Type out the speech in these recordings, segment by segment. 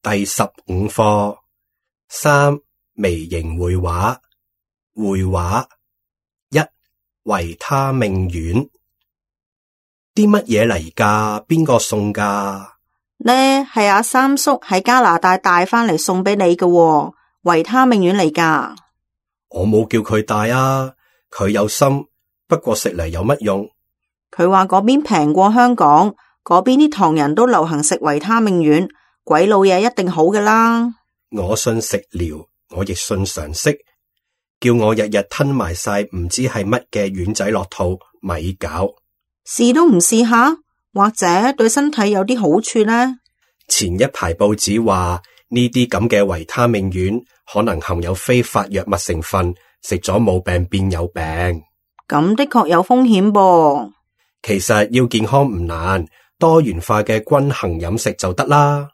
第15課3微型繪畫。繪畫1維他命丸。啲乜嘢嚟㗎？邊個送㗎？呢係阿三叔喺加拿大帶返嚟送俾你嘅喎，維他命丸嚟㗎。我冇叫佢帶啊，佢有心，不過食嚟有乜用？佢話嗰邊平過香港，嗰邊啲唐人都流行食維他命丸，鬼佬嘢一定好㗎啦。我信食療，我亦信常識，叫我日日吞埋晒唔知係乜嘅丸仔落肚，咪搞。試都唔試下，或者對身體有啲好處呢？前一排報紙話呢啲咁嘅維他命丸可能含有非法藥物成分，食咗冇病變有病。咁的確有風險噃。其實要健康唔難，多元化嘅均衡飲食就得啦。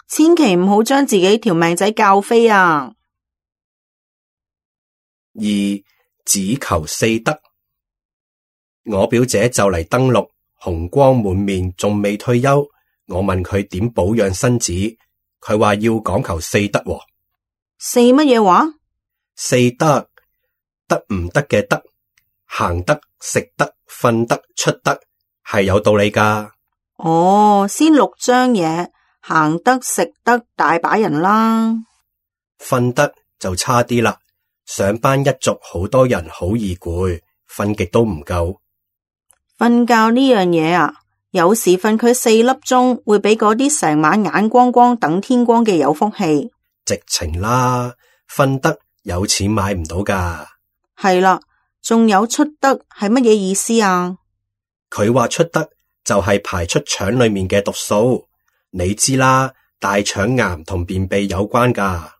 千祈唔好將自己條命仔教飛啊！2只求四德。我表姐就嚟登陸，紅光滿面，仲未退休。我問佢點保養身子，佢話要講求四德喎。四乜嘢話？四德，得唔得嘅得，行得、食得、瞓得、出得，係有道理㗎。哦，先6張嘢，行得、食得，大把人啦。瞓得就差啲啦，上班一族好多人好易攰，瞓極都唔夠。瞓覺呢樣嘢啊，有時瞓佢4粒鐘，會比嗰啲成晚眼光光等天光嘅有福氣。直情啦，瞓得有錢買唔到㗎。係啦，仲有出得係乜嘢意思啊？佢話出得就係排出腸裏面嘅毒素，你知啦，大腸癌同便秘有關㗎。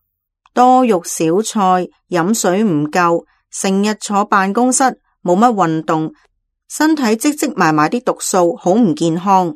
多肉少菜，飲水唔夠，成日坐辦公室，冇乜運動，身體積積埋啲毒素，好唔健康。